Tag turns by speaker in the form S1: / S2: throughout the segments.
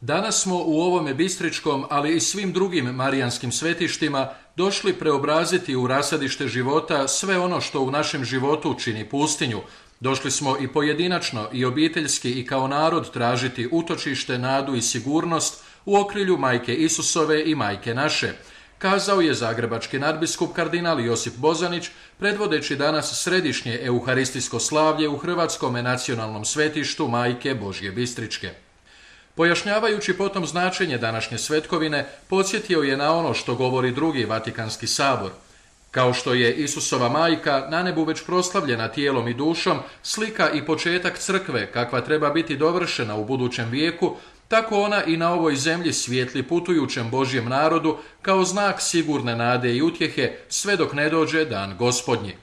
S1: Danas smo u ovome bistričkom, ali i svim drugim marijanskim svetištima došli preobraziti u rasadište života sve ono što u našem životu čini pustinju. Došli smo i pojedinačno i obiteljski i kao narod tražiti utočište, nadu i sigurnost u okrilju Majke Isusove i Majke naše, kazao je zagrebački nadbiskup kardinal Josip Bozanić, predvodeći danas središnje euharistijsko slavlje u Hrvatskome nacionalnom svetištu Majke Božje Bistričke. Pojašnjavajući potom značenje današnje svetkovine, podsjetio je na ono što govori drugi Vatikanski sabor. Kao što je Isusova majka na nebu već proslavljena tijelom i dušom, slika i početak crkve kakva treba biti dovršena u budućem vijeku, tako ona i na ovoj zemlji svijetli putujućem Božjem narodu kao znak sigurne nade i utjehe sve dok ne dođe dan Gospodnji.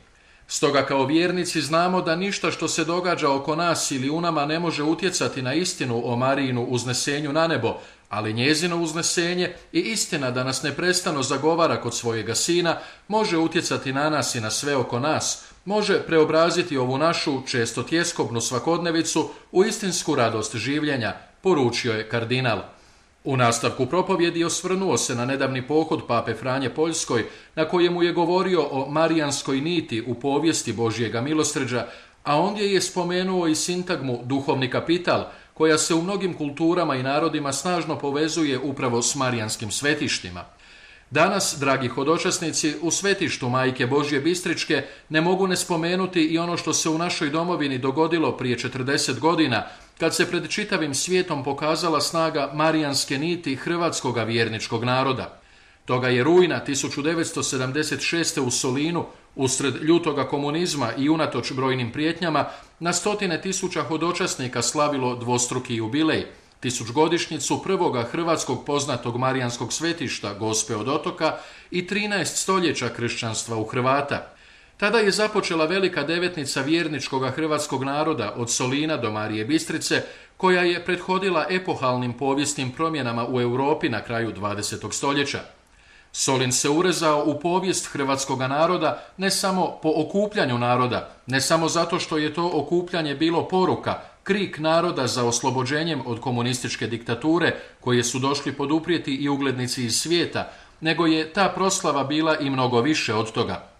S1: Stoga kao vjernici znamo da ništa što se događa oko nas ili u nama ne može utjecati na istinu o Marijinu uznesenju na nebo, ali njezino uznesenje i istina da nas neprestano zagovara kod svojega sina može utjecati na nas i na sve oko nas, može preobraziti ovu našu često tjeskobnu svakodnevicu u istinsku radost življenja, poručio je kardinal. U nastavku propovjedi osvrnuo se na nedavni pohod pape Franje Poljskoj, na kojemu je govorio o marijanskoj niti u povijesti Božjega milosrđa, a ondje je spomenuo i sintagmu duhovni kapital, koja se u mnogim kulturama i narodima snažno povezuje upravo s marijanskim svetištima. Danas, dragi hodočasnici, u svetištu Majke Božje Bistričke ne mogu ne spomenuti i ono što se u našoj domovini dogodilo prije 40 godina, kad se pred čitavim svijetom pokazala snaga marijanske niti hrvatskoga vjerničkog naroda. Toga je rujna 1976. u Solinu, usred ljutoga komunizma i unatoč brojnim prijetnjama, na stotine tisuća hodočasnika slavilo dvostruki jubilej, 1000-godišnjicu prvoga hrvatskog poznatog marijanskog svetišta Gospe od Otoka i 13 stoljeća kršćanstva u Hrvata. Tada je započela velika devetnica vjerničkoga hrvatskog naroda od Solina do Marije Bistrice, koja je prethodila epohalnim povijesnim promjenama u Europi na kraju 20. stoljeća. Solin se urezao u povijest hrvatskoga naroda ne samo po okupljanju naroda, ne samo zato što je to okupljanje bilo poruka, krik naroda za oslobođenjem od komunističke diktature koje su došli poduprijeti i uglednici iz svijeta, nego je ta proslava bila i mnogo više od toga.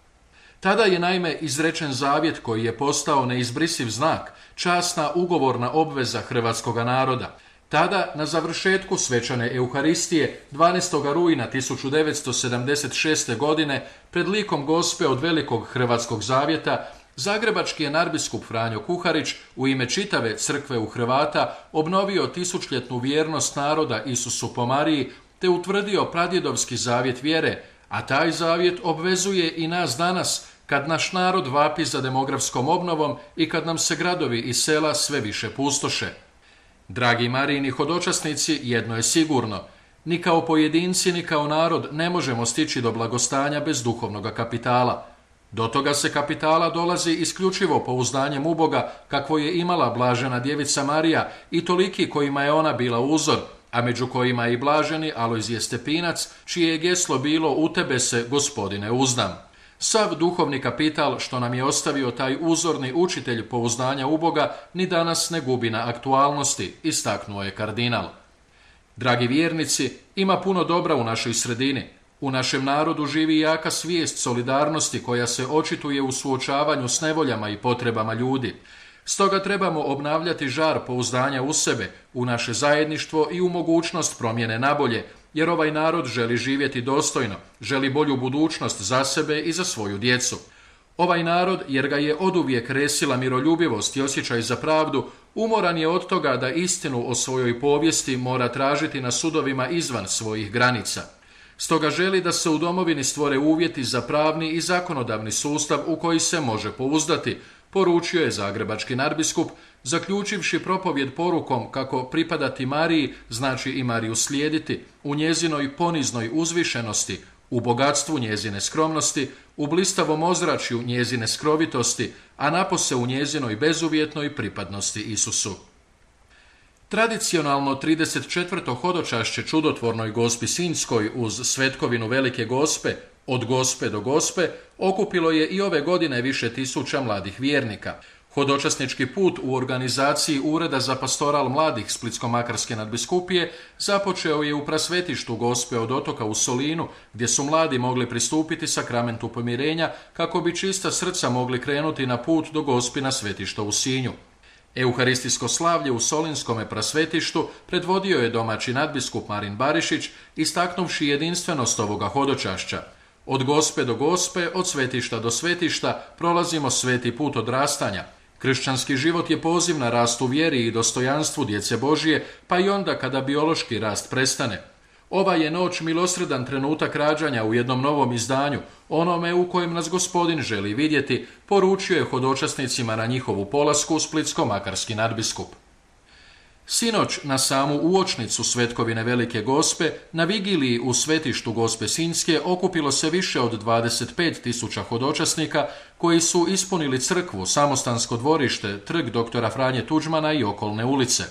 S1: Tada je naime izrečen zavjet koji je postao neizbrisiv znak, časna ugovorna obveza hrvatskoga naroda. Tada, na završetku svečane Euharistije, 12. rujna 1976. godine, pred likom Gospe od Velikog hrvatskog zavjeta, zagrebački je nadbiskup Franjo Kuharić u ime čitave crkve u Hrvata obnovio tisućljetnu vjernost naroda Isusu po Mariji te utvrdio pradjedovski zavjet vjere, a taj zavjet obvezuje i nas danas kad naš narod vapi za demografskom obnovom i kad nam se gradovi i sela sve više pustoše. Dragi Marijini hodočasnici, jedno je sigurno, ni kao pojedinci ni kao narod ne možemo stići do blagostanja bez duhovnog kapitala. Do toga se kapitala dolazi isključivo pouzdanjem u Boga kakvo je imala blažena djevica Marija i toliki kojima je ona bila uzor, a među kojima je i blaženi Alojzije Stepinac, čije je geslo bilo u tebe se, Gospodine, uzdam. Sav duhovni kapital što nam je ostavio taj uzorni učitelj pouzdanja u Boga ni danas ne gubi na aktualnosti, istaknuo je kardinal. Dragi vjernici, ima puno dobra u našoj sredini. U našem narodu živi jaka svijest solidarnosti koja se očituje u suočavanju s nevoljama i potrebama ljudi. Stoga trebamo obnavljati žar pouzdanja u sebe, u naše zajedništvo i u mogućnost promjene nabolje, jer ovaj narod želi živjeti dostojno, želi bolju budućnost za sebe i za svoju djecu. Ovaj narod, jer ga je oduvijek resila miroljubivost i osjećaj za pravdu, umoran je od toga da istinu o svojoj povijesti mora tražiti na sudovima izvan svojih granica. Stoga želi da se u domovini stvore uvjeti za pravni i zakonodavni sustav u koji se može pouzdati, poručio je zagrebački nadbiskup, zaključivši propovjed porukom kako pripadati Mariji znači i Mariju slijediti, u njezinoj poniznoj uzvišenosti, u bogatstvu njezine skromnosti, u blistavom ozračju njezine skrovitosti, a napose u njezinoj bezuvjetnoj pripadnosti Isusu. Tradicionalno 34. hodočašće čudotvornoj Gospi Sinjskoj uz svetkovinu Velike Gospe, od Gospe do Gospe, okupilo je i ove godine više tisuća mladih vjernika. Hodočasnički put u organizaciji Ureda za pastoral mladih Splitsko-makarske nadbiskupije započeo je u prasvetištu Gospe od Otoka u Solinu, gdje su mladi mogli pristupiti sakramentu pomirenja kako bi čista srca mogli krenuti na put do Gospina svetišta u Sinju. Euharistijsko slavlje u Solinskome prasvetištu predvodio je domaći nadbiskup Marin Barišić, istaknuvši jedinstvenost ovoga hodočašća. Od Gospe do Gospe, od svetišta do svetišta prolazimo sveti put odrastanja. Kršćanski život je poziv na rast u vjeri i dostojanstvu djece Božije, pa i onda kada biološki rast prestane. Ova je noć milosredan trenutak rađanja u jednom novom izdanju, onome u kojem nas Gospodin želi vidjeti, poručio je hodočasnicima na njihovu polasku splitsko-makarski nadbiskup. Sinoć na samu uočnicu Svetkovine Velike Gospe, na vigiliji u svetištu Gospe Sinjske okupilo se više od 25.000 hodočasnika koji su ispunili crkvu, samostansko dvorište, trg doktora Franje Tuđmana i okolne ulice.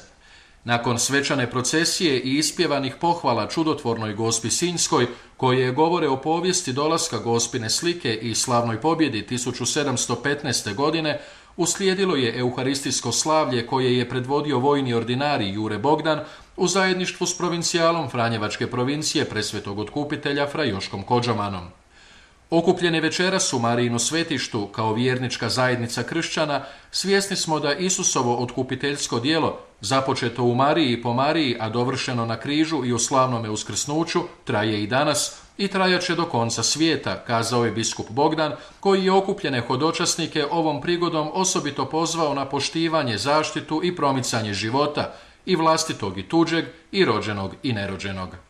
S1: Nakon svečane procesije i ispjevanih pohvala čudotvornoj Gospi Sinjskoj, koje govore o povijesti dolaska Gospine slike i slavnoj pobjedi 1715. godine, uslijedilo je euharistijsko slavlje koje je predvodio vojni ordinarij Jure Bogdan u zajedništvu s provincijalom Franjevačke provincije Presvetog Otkupitelja fra Joškom Kodžamanom. Okupljene večeras u Marijinu svetištu kao vjernička zajednica kršćana, svjesni smo da Isusovo otkupiteljsko djelo, započeto u Mariji i po Mariji, a dovršeno na križu i u slavnome uskrsnuću, traje i danas i trajaće do konca svijeta, kazao je biskup Bogdan, koji je okupljene hodočasnike ovom prigodom osobito pozvao na poštivanje, zaštitu i promicanje života, i vlastitog i tuđeg, i rođenog i nerođenog.